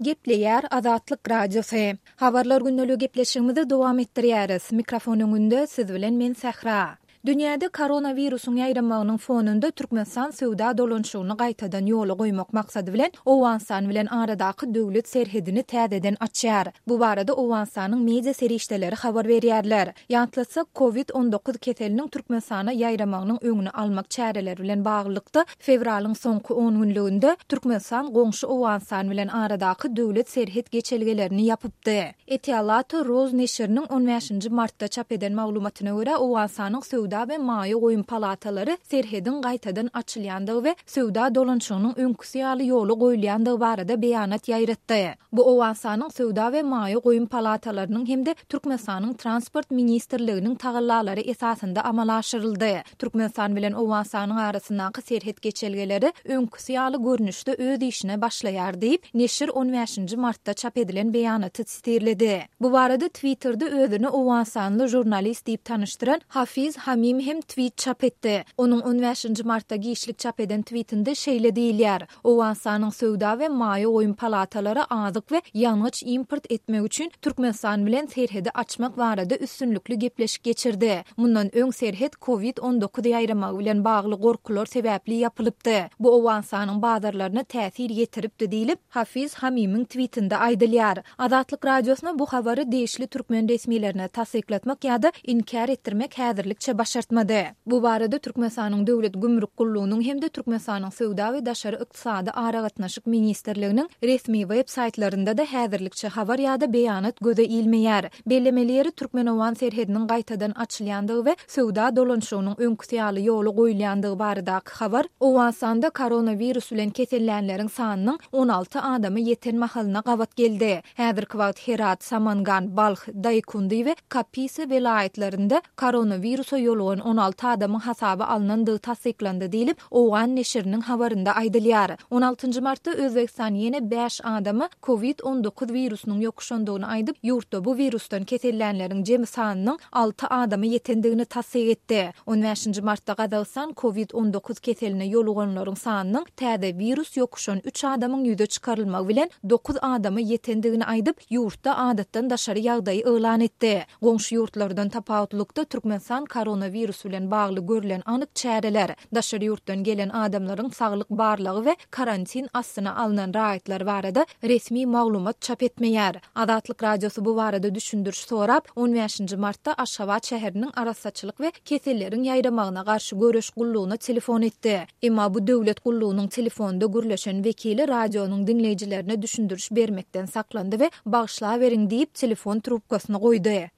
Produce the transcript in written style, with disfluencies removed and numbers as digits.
Gepleýär Azatlyk Radiosy. Habarlar gündeligi gepleşigimizi dowam etdirýäris. Mikrofon öňünde siz bilen men Sähra. Dünýäde koronawirusyň ýaýramagynyň fonunda Türkmenistan söwda dolanyşygyny gaýtadan ýola goýmak maksady bilen Owganystan bilen aradaky döwlet serhedini täzeden açýar. Bu barada Owganystanyň media serişdeleri habar berýärler. Ýatlatsak, Covid 19 keseliniň Türkmenistana ýaýramagynyň öňüni almak çäreleri bilen baglylykda, fewralyň soňky on günlüginde Türkmenistan goňşy Owganystan bilen aradaky döwlet serhet geçelgelerini ýapypdy. Etialato Roz neşiriniň on bäşinji martda çap eden maglumatyna görä, Owganystanyň Söwda we maýa goýum palatalary serhediň gaýtadan açylýandygy we söwda dolanyşygynyň öňküsi ýaly ýola goýulýandygy barada beýanat ýaýratdy. Bu Owganystanyň Söwda we maýa goýum palatalarynyň hem-de Türkmenistanyň Transport ministrliginiň tagallalary esasynda amala aşyryldy. Türkmenistan bilen Owganystanyň arasyndaky serhet geçelgeleri öňküsi ýaly görnüşde öz işine başlaýar diýip, neşir on bäşinji martda çap edilen beýanaty sitirledi. Bu barada Twitterde özüni owganystanly žurnalist diýip tanyşdyran Hafiz Hamim hem twit çap etdi. Onuň on bäşinji martda giçlik çap eden twitinde şeýle diýilýär, Owganystanyň Söwda we maýa goýum palatalary azyk we ýangyç import etmek üçin Türkmenistan bilen serhedi açmak barada üstünlikli gepleşik geçirdi. Mundan öň serhet Covid 19 ýaýramagy bilen bagly gorkular sebäpli ýapylypdy. Bu Owganystanyň bazarlaryna täsir ýetiripdi diýlip, Hafiz Hamimiň twitinde aýdylýar. Azatlyk Radiosyna bu habary degişli türkmen resmilerine tassyklatmak ýa-da inkär etdirmek häzirlikçe başartmady. Bu barada Türkmenistanyň Döwlet gümrük gullugynyň hem-de Türkmenistanyň Söwda we daşary ykdysady aragatnaşyk ministrliginiň resmi web saýtlarynda-da häzirlikçe habar ýa-da beýanat göze ilmeýär. Bellemeli ýeri, türkmen-owgan serhediniň gaýtadan açylýandygy we söwda dolanyşygynyň öňküsi ýaly ýola goýulýandygy baradaky habar Owganystanda koronawirus bilen kesellänleriň sanynyň 16 adama ýeten mahalyna gabat geldi. Häzirki wagt Herat, Samangan, Balh, Daýkundi we Kapisa welaýatlarynda koronawirusa ýolugan 16 adamyň hasaba alnandygy tassyklandy diýlip, owgan neşiriniň habarynda aýdylýar. On altynjy martda Özbegistan ýene bäş adama Covid 19 wirusynyň ýokuşandygyny aýdyp, ýurtda bu wirusdan kesellänleriň jemi sanynyň alty adama ýetendigini tassyk etdi. On bäşinji martda Gazagystan Covid 19 keseline ýoluganlaryň sanynyň täze wirus ýokuşan üç adamyň ýüze çykarylmagy bilen dokuz adama ýetendigini aýdyp, ýurtda adatdan daşary ýagdaýy yglan etdi. Goňşy ýurtlardan tapawutlykda Türkmenistan koronawirus bilen bagly görlen anyk çäreler, daşary ýurtdan gelen adamlaryň saglyk barlagy we karantin astyna alnan raýatlar barada resmi maglumat çap etmeýär. Azatlyk Radiosy bu barada düşündiriş sorap, on bäşinji martda Aşgabat şäheriniň Arassaçylyk we keselleriň ýaýramagyna garşy göreş gullugyna telefon etdi. Emma bu döwlet gullugynyň telefonda gürleşen wekili radionyň diňleýjilerine düşündiriş bermekden saklandy we bagyşlaweriň diýip, telefon trubkasyny goýdy.